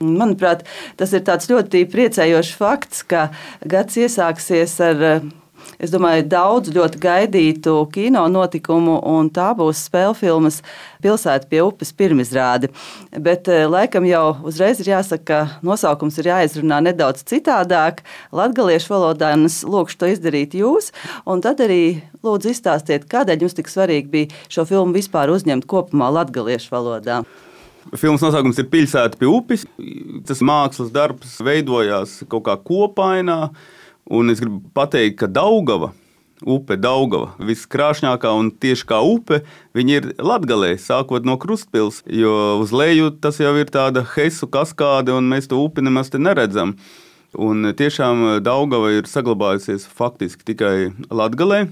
Manuprāt, tas ir tāds ļoti priecējošs fakts, ka gads iesāksies ar, es domāju, daudz ļoti gaidītu kino notikumu, un tā būs spēļu filmas Pilsēta pie upes pirmizrāde. Bet laikam jau uzreiz ir jāsaka, ka nosaukums ir jāizrunā nedaudz citādāk, latgaliešu valodā, un es lūkšu to izdarīt jūs. Un tad arī lūdzu izstāstiet, kādēļ jums tik svarīgi bija šo filmu vispār uzņemt kopumā latgaliešu valodā. Filmas nosaukums ir Pilsēta pie upes. Tas mākslas darbs veidojās kaut kā kopainā, un es gribu pateikt, ka Daugava, upe Daugava, viskrāšņākā un tieši kā upe, viņa ir Latgalē, sākot no Krustpils, jo uz leju tas jau ir tāda Hesu kaskāde, un mēs to upi nemaz te neredzam. Un tiešām Daugava ir saglabājusies faktiski tikai Latgalē,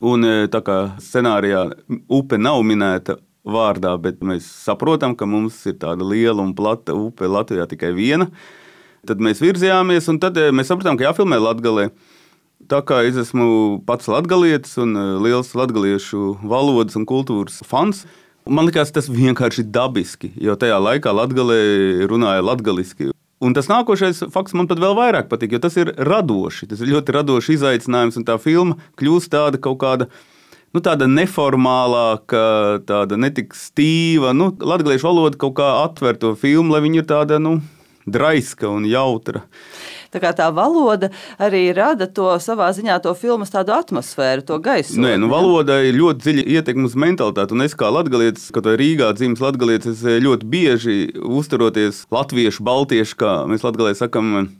un tā kā scenārijā upe nav minēta vārdā, bet mēs saprotam, ka mums ir tāda liela un plata upe Latvijā tikai viena. Tad mēs virzījāmies, un tad mēs sapratām, ka jāfilmē Latgalē. Tā kā es esmu pats latgalietis un liels latgaliešu valodas un kultūras fans, man likās tas vienkārši dabiski, jo tajā laikā Latgalē runāja latgaliski. Un tas nākošais fakts man pat vēl vairāk patīk, jo tas ir radoši. Tas ir ļoti radošs izaicinājums, un tā filma kļūst tāda kaut kāda, tāda neformālāka, tāda netik stīva. Latgaliešu valoda kaut kā atver to filmu, lai viņa ir tāda, draiska un jautra. Tā kā tā valoda arī rada to savā ziņā to filmas tādu atmosfēru, to gaisu. Nē, valoda ir ļoti dziļa ietekme uz mentalitāti, un es kā latgalietis, kad Rīgā dzimis latgalietis, es ļoti bieži uzturoties latviešu, baltiešu, kā mēs Latgalē sakam,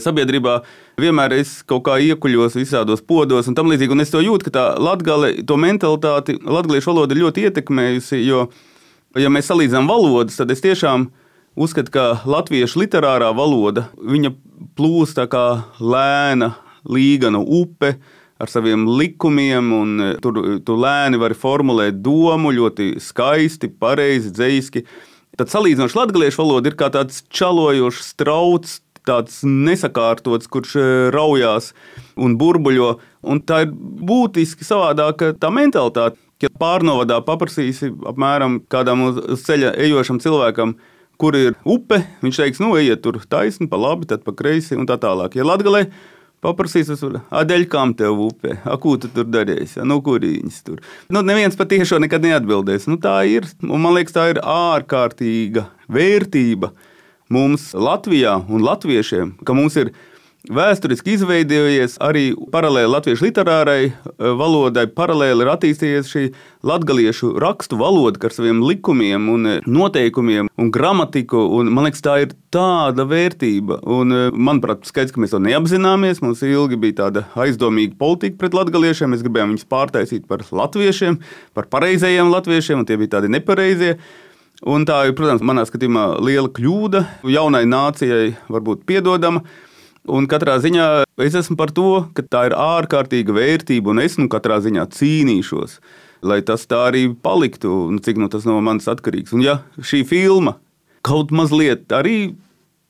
sabiedrībā, vienmēr es kaut kā iekuļos visādos podos un tam līdzīgi, un es to jūtu, ka tā Latgale, to mentalitāti, latgaliešu valoda ir ļoti ietekmējusi, jo, ja mēs salīdzinām valodas, tad es tiešām uzskatu, ka latviešu literārā valoda, viņa plūst tā kā lēna, līgana upe ar saviem likumiem, un tur lēni var formulēt domu ļoti skaisti, pareizi, dzeiski. Tad salīdzinoši latgaliešu valoda ir kā tāds čalojošs strauts, tāds nesakārtots, kurš raujās un burbuļo, un tā ir būtiski savādāka tā mentalitāte. Ja pārnovadā paprasīsi apmēram kādam uz ceļa ejošam cilvēkam, kur ir upe, viņš teiks, ejiet tur taisni, pa labi, tad pa kreisi un tā tālāk. Ja Latgalē paprasīs, dēļ kam tev upe, ko tu tur darīsi, kurīņas tur. Neviens patiešo nekad neatbildēs. Tā ir, un man liekas, tā ir ārkārtīga vērtība mums Latvijā un latviešiem, ka mums ir vēsturiski izveidojies arī paralēli latviešu literārai valodai, paralēli ir attīstījies šī latgaliešu rakstu valoda ar saviem likumiem un noteikumiem un gramatiku, un man liekas, tā ir tāda vērtība. Un, manuprāt, skaidrs, ka mēs to neapzināmies, mums ilgi bija tāda aizdomīga politika pret latgaliešiem, mēs gribējām viņus pārtaisīt par latviešiem, par pareizajiem latviešiem, un tie bija tādi nepareizie. Un tā ir, protams, manā skatījumā liela kļūda, jaunai nācijai varbūt piedodama. Un katrā ziņā es esmu par to, ka tā ir ārkārtīga vērtība, un es katrā ziņā cīnīšos, lai tas tā arī paliktu, un cik tas no manis atkarīgs. Un ja šī filma kaut mazliet arī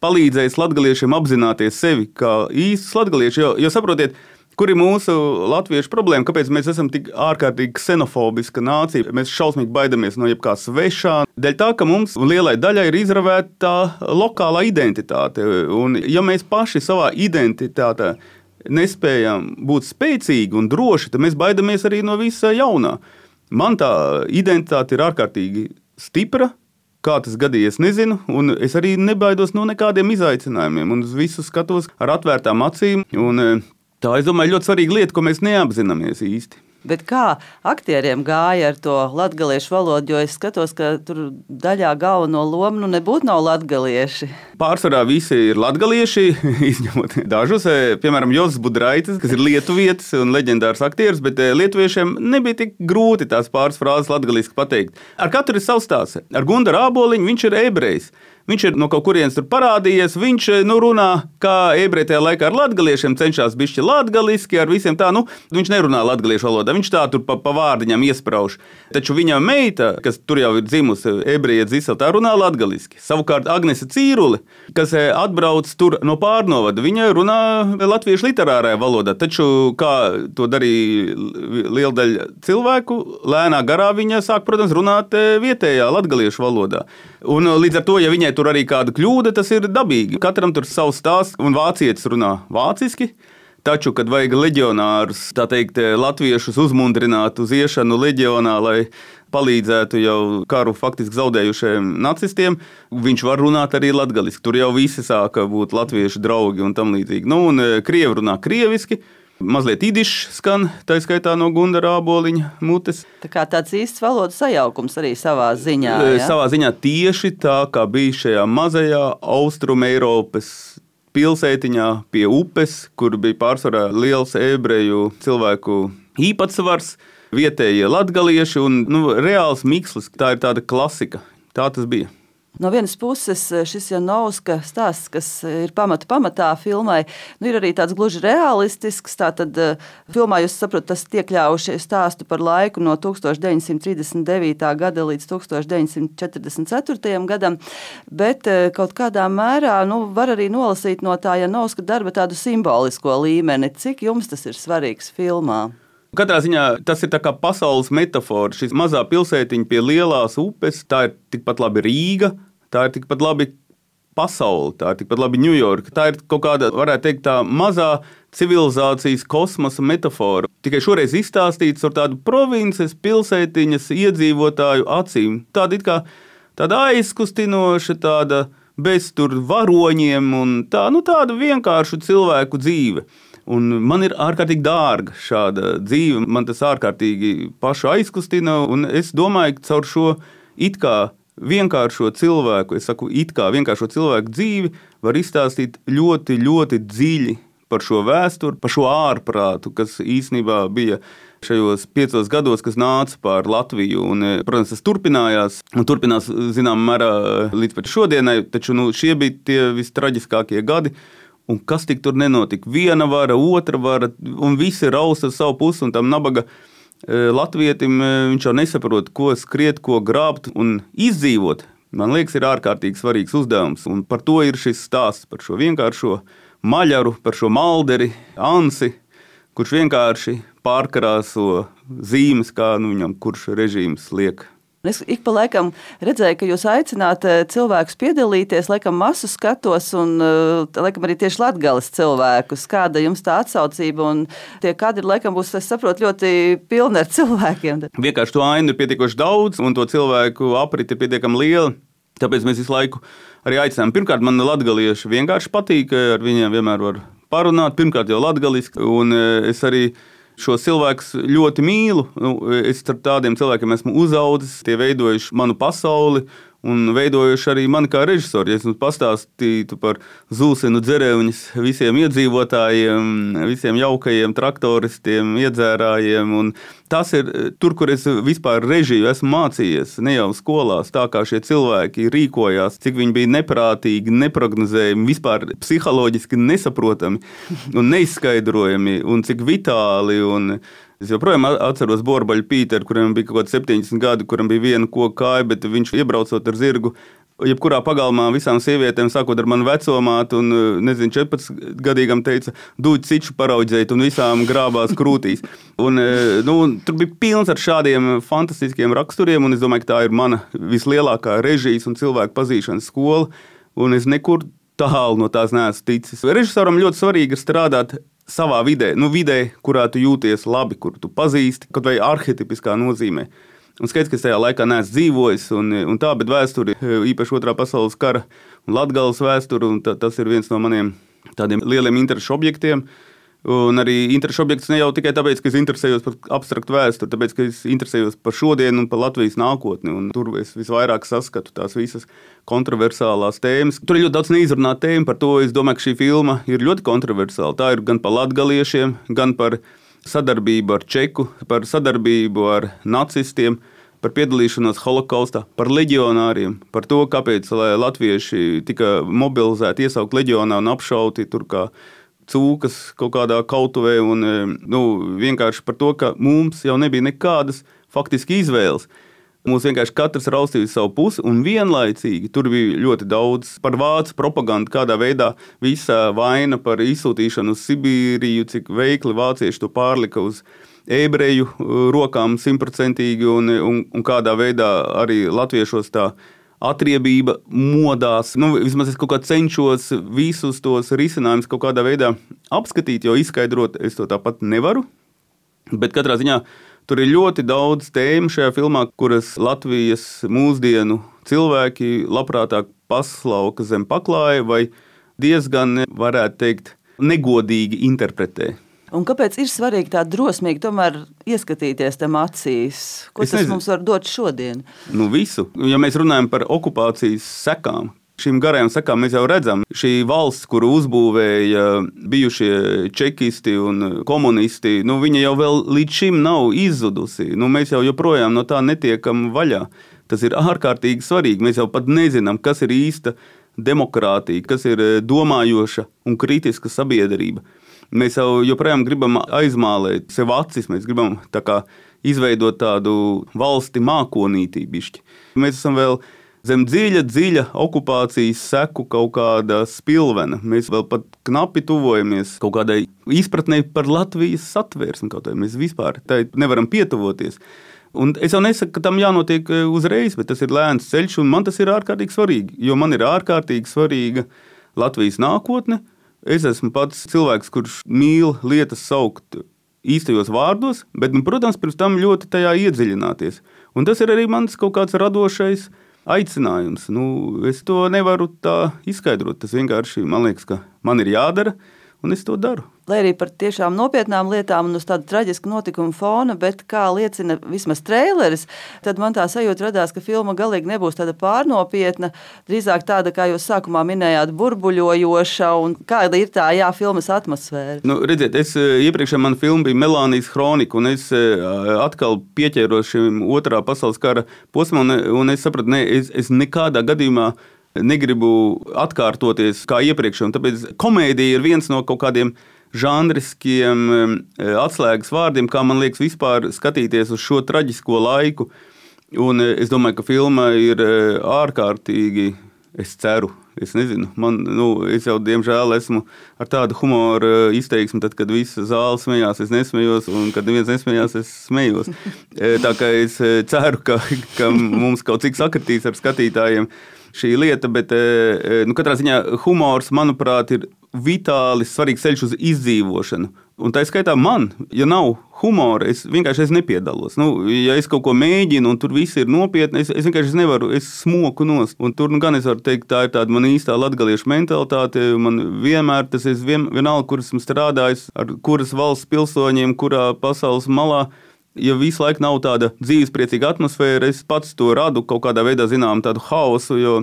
palīdzēs latgaliešiem apzināties sevi kā īstus latgalieši, jo saprotiet, kur ir mūsu latviešu problēma, kāpēc mēs esam tik ārkārtīgi ksenofobiska nācija, mēs šausmīgi baidamies no jebkā svešā, dēļ tā, ka mums lielai daļai ir izravēta tā lokālā identitāte, un ja mēs paši savā identitātē nespējam būt spēcīgi un droši, tad mēs baidamies arī no visa jaunā. Man tā identitāte ir ārkārtīgi stipra, kā tas gadījies, nezinu, un es arī nebaidos no nekādiem izaicinājumiem, un uz visu skatos ar atvērtām acīm, un tā, es domāju, ļoti svarīga lieta, ko mēs neapzināmies īsti. Bet kā aktieriem gāja ar to latgaliešu valodu, jo es skatos, ka tur daļā galveno lomu nebūtu nav latgalieši. Pārsvarā visi ir latgalieši, izņemot dažus, piemēram, Jozs Budraitis, kas ir lietuvietis un leģendārs aktieris, bet lietuviešiem nebija tik grūti tās pāris frāzes latgaliski pateikt. Ar katru ir savs stāsts. Ar Gundaru Āboliņu viņš ir ebrejs. Viņš ir no kaut kurienes tur parādījies, viņš runā, kā ebreji tajā laikā ar latgaliešiem cenšas bišķi latgaliski, ar visiem tā, viņš nerunā latgaliešu valodā. valodā. Viņš tā tur pa vārdiņām iesprauž. Taču viņa meita, kas tur jau ir dzimusi, ebreja Dzisela, tā runā latgaliski. Savukārt Agnese Cīrule, kas atbrauc tur no pārnovada, viņa runā latviešu literārajā valodā. Taču, kā to darīja liela daļa cilvēku, lēnā garā viņa sāk, protams, runāt vietējā latgaliešu valodā. Un līdz ar to, ja viņai tur arī kāda kļūda, tas ir dabīgi. Katram tur savs stāsts, un vācietis runā vāciski. Taču, kad vajag leģionārus, tā teikt, latviešus uzmundrināt uz iešanu leģionā, lai palīdzētu jau karu faktiski zaudējušajiem nacistiem, viņš var runāt arī latgaliski. Tur jau visi sāka būt latviešu draugi un tam līdzīgi. Un krievi runā krieviski. Mazliet idišs skan, tā skaitā no Gundara Āboliņa mutes. Tā kā tāds īsts valodas sajaukums arī savā ziņā. Ja? Savā ziņā tieši tā, kā bija šajā mazajā Austrum Eiropas pilsētiņā pie upes, kur bija pārsvarā liels ebreju cilvēku īpatsvars, vietējie latgalieši un reāls mikslis. Tā ir tāda klasika. Tā tas bija. No vienas puses, šis Janovska stāsts, kas ir pamatā filmai, ir arī tāds gluži realistisks. Tātad filmā, jūs saprotat, tas iekļaujuši stāstu par laiku no 1939. gada līdz 1944. gadam, bet kaut kādā mērā var arī nolasīt no tā Janovska darba tādu simbolisko līmeni. Cik jums tas ir svarīgs filmā? Katrā ziņā tas ir tā kā pasaules metafora. Šis mazā pilsētiņa pie lielās upes, tā ir tikpat labi Rīga, tā ir tikpat labi pasaule, tā ir tikpat labi Ņujorka. Tā ir kaut kāda, varētu teikt, tā mazā civilizācijas kosmosa metafora. Tikai šoreiz izstāstīts ar tādu provinces pilsētiņas iedzīvotāju acīm. Tāda it kā tāda aizkustinoša, tāda bez tur varoņiem un tāda vienkāršu cilvēku dzīve. Un man ir ārkārtīgi dārga šāda dzīve, man tas ārkārtīgi pašu aizkustina, un es domāju, ka caur šo it kā vienkāršo cilvēku, vienkāršo cilvēku dzīvi var izstāstīt ļoti, ļoti dziļi par šo vēsturi, par šo ārprātu, kas īstenībā bija šajos 5 gados, kas nāca pār Latviju. Un, protams, tas turpinājās un turpinās zināmā mērā līdz pat šodienai, taču šie bija tie vistraģiskākie gadi. Un kas tik tur nenotika? Viena vara, otra vara, un visi raus ar savu pusi, un tam nabaga latvietim viņš jau nesaprot, ko skriet, ko grābt un izdzīvot. Man liekas, ir ārkārtīgi svarīgs uzdevums, un par to ir šis stāsts, par šo vienkāršo maļaru, par šo malderi, Ansi, kurš vienkārši pārkarāso zīmes, kā viņam kurš režīms liek. Es ik pa laikam redzēju, ka jūs aicināt cilvēkus piedalīties, laikam masu skatos un laikam arī tieši latgales cilvēkus. Kāda jums tā atsaucība un tie kadri laikam būs, es saprotu, ļoti pilni ar cilvēkiem. Vienkārši to ainu ir pietiekoši daudz un to cilvēku apriti ir pietiekami liela. Tāpēc mēs visu laiku arī aicinām. Pirmkārt, man latgalieši vienkārši patīk, ar viņiem vienmēr var parunāt. Pirmkārt jau latgaliski un es arī šos cilvēkus ļoti mīlu. Es ar tādiem cilvēkiem esmu uzaudzis, tie veidojuši manu pasauli un veidojuši arī mani kā režisori. Ja es pastāstītu par Zūsenu Dzerevņas visiem iedzīvotājiem, visiem jaukajiem traktoristiem, iedzērājiem. Un tas ir tur, kur es vispār režiju esmu mācījies, ne jau skolās, tā kā šie cilvēki rīkojās, cik viņi bija neprātīgi, neprognozējami, vispār psiholoģiski nesaprotami un neizskaidrojami, un cik vitāli. Un es joprojām atceros Borbaļu Pīteru, kuriem bija kaut kādi 70 gadi, kuram bija viena koka kāja, bet viņš iebraucot ar zirgu, jebkurā pagalmā visām sievietēm, sākot ar manu vecomātu un, 14-gadīgam teica, dūķi ciču paraudzēt un visām grābās krūtīs. Un, tur bija pilns ar šādiem fantastiskiem raksturiem, un es domāju, ka tā ir mana vislielākā režijas un cilvēku pazīšanas skola, un es nekur tālu no tās neesmu ticis. Režisoram ļoti svarīgi ir strādāt savā vidē, vidē, kurā tu jūties labi, kur tu pazīsti, kaut vai arhetipiskā nozīmē. Un skaidrs, ka es tajā laikā neesmu dzīvojis, un tā, bet vēsturi, īpaši Otrā pasaules kara un Latgales vēsturi, un tas ir viens no maniem tādiem lieliem interešu objektiem. Un arī interešu objekts ne jau tikai tāpēc, ka es interesējos par abstraktu vēsturi, tāpēc, ka es interesējos par šodienu un par Latvijas nākotni, un tur es visvairāk saskatu tās visas kontroversālās tēmas. Tur ir ļoti daudz neizrunāta tēma, par to es domāju, ka šī filma ir ļoti kontroversāla. Tā ir gan par latgaliešiem, gan par sadarbību ar Čeku, par sadarbību ar nacistiem, par piedalīšanos holokaustā, par leģionāriem, par to, kāpēc latvieši tika mobilizēti, iesaukt leģionā un apšauti tur kā cūkas kaut kādā kautuvē un vienkārši par to, ka mums jau nebija nekādas faktiski izvēles. Mums vienkārši katrs raustīja savu pusi, un vienlaicīgi tur bija ļoti daudz par vācu propagandu, kādā veidā visa vaina par izsūtīšanu uz Sibīriju, cik veikli vācieši to pārlika uz ebreju rokām 100%, un kādā veidā arī latviešos tā atriebība modās. Vismaz es kaut kā cenšos visus tos risinājumus kaut kādā veidā apskatīt, jo izskaidrot es to tāpat nevaru, bet katrā ziņā tur ir ļoti daudz tēmu šajā filmā, kuras Latvijas mūsdienu cilvēki labprātāk paslauka zem paklāja vai diezgan, varētu teikt, negodīgi interpretē. Un kāpēc ir svarīgi tā drosmīgi tomēr ieskatīties tam acīs? Ko tas mums var dot šodien? Visu. Ja mēs runājam par okupācijas sekām, šīm garajām sekām mēs jau redzam, šī valsts, kuru uzbūvēja bijušie čekisti un komunisti, viņa jau vēl līdz šim nav izzudusi. Mēs jau joprojām no tā netiekam vaļā. Tas ir ārkārtīgi svarīgi. Mēs jau pat nezinām, kas ir īsta demokrātija, kas ir domājoša un kritiska sabiedrība. Mēs jau joprojām gribam aizmālēt sev acis, mēs gribam tā kā izveidot tādu valsti mākonītī bišķi. Mēs esam vēl zem dziļa okupācijas seku kaut kāda spilvena. Mēs vēl pat knapi tuvojamies kaut kādai izpratnei par Latvijas satvērsmi. Mēs vispār tai nevaram pietuvoties. Un es jau nesaku, ka tam jānotiek uzreiz, bet tas ir lēns ceļš, un man tas ir ārkārtīgi svarīgi, jo man ir ārkārtīgi svarīga Latvijas nākotne. Es esmu pats cilvēks, kurš mīl lietas saukt īstajos vārdos, bet, protams, pirms tam ļoti tajā iedziļināties. Un tas ir arī mans kaut kāds radošais aicinājums. Es to nevaru tā izskaidrot. Tas vienkārši, man liekas, ka man ir jādara, un es to daru. Lai arī par tiešām nopietnām lietām un uz tādu traģisku notikumu fona, bet kā liecina vismaz traileris, tad man tā sajūta radās, ka filma galīgi nebūs tāda pārnopietna, drīzāk tāda, kā jūs sākumā minējāt, burbuļojoša, un kāda ir tā, filmas atmosfēra. Redziet, iepriekšējā mana filma bija Melānijas Hronika, un es atkal pieķēros šim otrā pasaules kara posmam, un es sapratu, es nekādā gadījumā negribu atkārtoties kā iepriekš, un tāpēc komēdija ir viens no kaut kādiem žanriskiem atslēgas vārdiem, kā man liekas vispār skatīties uz šo traģisko laiku. Un es domāju, ka filma ir ārkārtīgi, es ceru, es nezinu, es jau diemžēl esmu ar tādu humoru izteiksmi, tad, kad visa zāle smējās, es nesmējos, un kad neviens nesmējās, es smējos. Tā kā es ceru, ka mums kaut cik sakritīs ar skatītājiem šī lieta, bet katrā ziņā humors, manuprāt, ir vitāli svarīgs ceļš uz izdzīvošanu. Un tā skaitā man, ja nav humora, es vienkārši nepiedalos. Ja es kaut ko mēģinu, un tur viss ir nopietni, es vienkārši nevaru, es smoku nost. Un tur gan es varu teikt, tā ir tāda man īstā latgaliešu mentalitāte. Man vienmēr tas ir vienalga, kur esmu strādājis, ar kuras valsts pilsoņiem, kurā pasaules malā. Ja visu laiku nav tāda dzīvespriecīga atmosfēra, es pats to radu kaut kādā veidā, zinām, tādu haosu, jo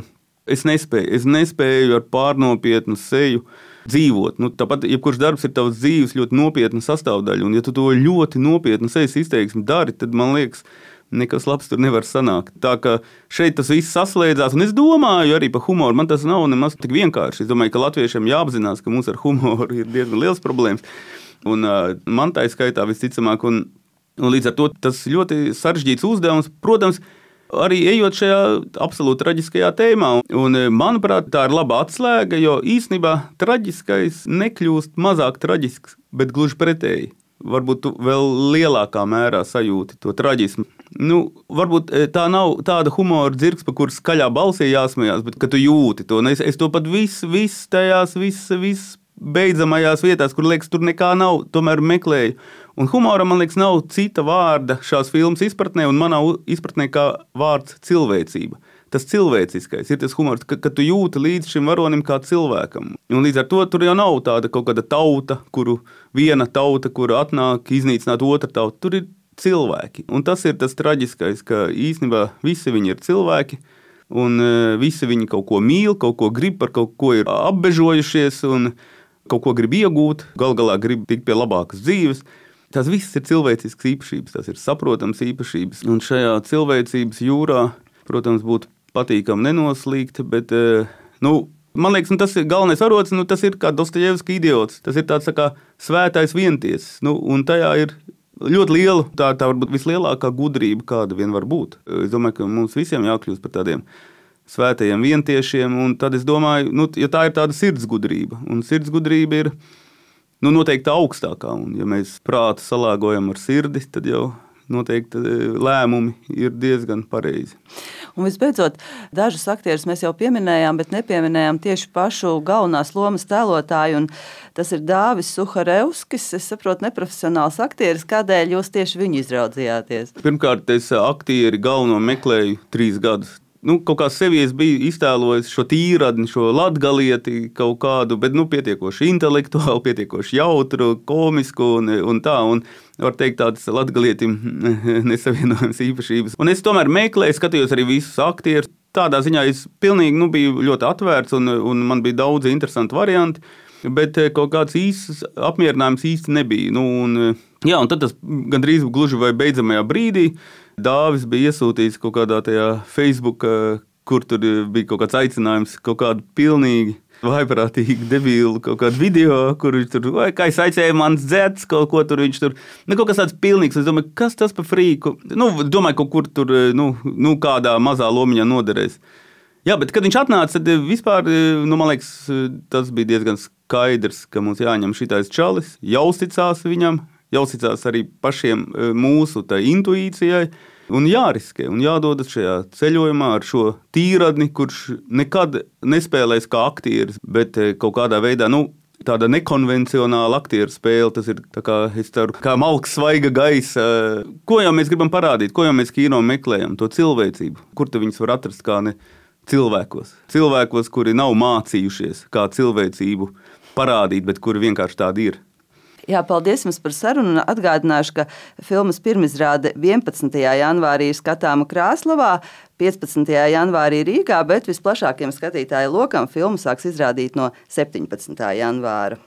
es nespēju ar pārnopietnu seju dzīvot. Tāpat, jebkurš darbs ir tavs dzīves ļoti nopietna sastāvdaļa, un ja tu to ļoti nopietnu sejas izteiksmi dari, tad, man liekas, nekas labs tur nevar sanākt. Tā kā šeit tas viss saslēdzās, un es domāju arī par humoru. Man tas nav nemaz tik vienkārši. Es domāju, ka latviešiem jāapzinās, ka mums ar humoru ir diezgan liels problēmas, un man tā skaitā visticamāk, un līdz ar to tas ļoti sarežģīts uzdevums, protams, arī ejot šajā absolūti traģiskajā tēmā. Un, manuprāt, tā ir laba atslēga, jo īstenībā traģiskais nekļūst mazāk traģisks, bet gluži pretēji. Varbūt tu vēl lielākā mērā sajūti to traģismu. Varbūt tā nav tāda humora dzirks, pa kuras skaļā balsī jāsmējās, bet ka tu jūti to. Es to pat viss tajās beidzamajās vietās, kur liekas, tur nekā nav, tomēr meklēju. Un humoram, man liekas, nav cita vārda šās filmas izpratnē, un manā izpratnē kā vārds cilvēcība. Tas cilvēciskais ir tas humors, ka tu jūti līdz šim varonim kā cilvēkam. Un līdz ar to tur jau nav tāda kaut kāda tauta, viena tauta, kura atnāk iznīcināt otru tautu. Tur ir cilvēki. Un tas ir tas traģiskais, ka īstenībā visi viņi ir cilvēki, un visi viņi kaut ko mīl, kaut ko grib, par kaut ko ir apbežojušies, un kaut ko grib iegūt, galā grib tikt pie labākas dzīves. Tās visas ir cilvēciskas īpašības, tās ir saprotams īpašības. Un šajā cilvēcības jūrā, protams, būtu patīkami nenoslīgt, bet Man liekas, tas ir galvenais varonis, tas ir kā Dostojevska idiots. Tas ir tāds tā kā svētais vientiesis. Un tajā ir ļoti liela, tā varbūt vislielākā gudrība, kāda vien var būt. Es domāju, ka mums visiem jākļūst par tādiem svētajiem vientiešiem. Un tad es domāju, ja tā ir tāda sirdsgudrība, un sirdsgudrība ir noteikti augstākā. Un ja mēs prātu salāgojam ar sirdi, tad jau noteikti lēmumi ir diezgan pareizi. Un visbeidzot, dažus aktierus mēs jau pieminējām, bet nepieminējām tieši pašu galvenās lomas tēlotāju. Tas ir Dāvis Suharevskis. Es saprotu, neprofesionāls aktieris. Kādēļ jūs tieši viņu izraudzījāties? Pirmkārt, es aktieri galveno meklēju 3 gadus. Kaut kā sevi es biju iztēlojis šo tīradni, šo latgalieti kaut kādu, bet pietiekoši intelektuāli, pietiekoši jautru, komisku un tā. Un var teikt, tādas latgalietim nesavienojams īpašības. Un es tomēr meklēju, skatījos arī visus aktierus. Tādā ziņā es pilnīgi biju ļoti atvērts un man bija daudz interesanti varianti, bet kaut kāds īsts apmierinājums īsti nebija. Un tad tas gandrīz gluži vai beidzamajā brīdī Dāvis bija iesūtījis kaut kādā tajā Facebook, kur tur bija kaut kāds aicinājums, kaut kādu pilnīgi vaiprātīgi debilu kaut kādu video, kur viņš tur, kā es aicēju mans dzēts, kaut ko tur viņš tur, kaut kas tāds pilnīgs. Es domāju, kas tas par frīku? Domāju, kaut kur tur, kādā mazā lomiņā noderēs. Jā, bet kad viņš atnāca, tad vispār, man liekas, tas bija diezgan skaidrs, ka mums jāņem šitais čalis, jāuzticās viņam, jāuzticās arī pašiem mūsu intuīcijai un jāriskē un jādodas šajā ceļojumā ar šo tīradni, kurš nekad nespēlēs kā aktieris, bet kaut kādā veidā, tāda nekonvencionāla aktieru spēle, tas ir tā kā, es ceru, kā malks svaiga gaisa. Ko jau mēs gribam parādīt, ko jau mēs kino meklējam, to cilvēcību, kur tu viņus var atrast kā ne cilvēkos. Cilvēkos, kuri nav mācījušies kā cilvēcību parādīt, bet kuri vienkārši tādi ir. Jā, paldies jums par sarunu. Atgādināšu, ka filmas pirmizrāde 11. janvārī ir skatāma Krāslavā, 15. janvārī Rīgā, bet visplašākiem skatītāju lokam filmu sāks izrādīt no 17. janvāra.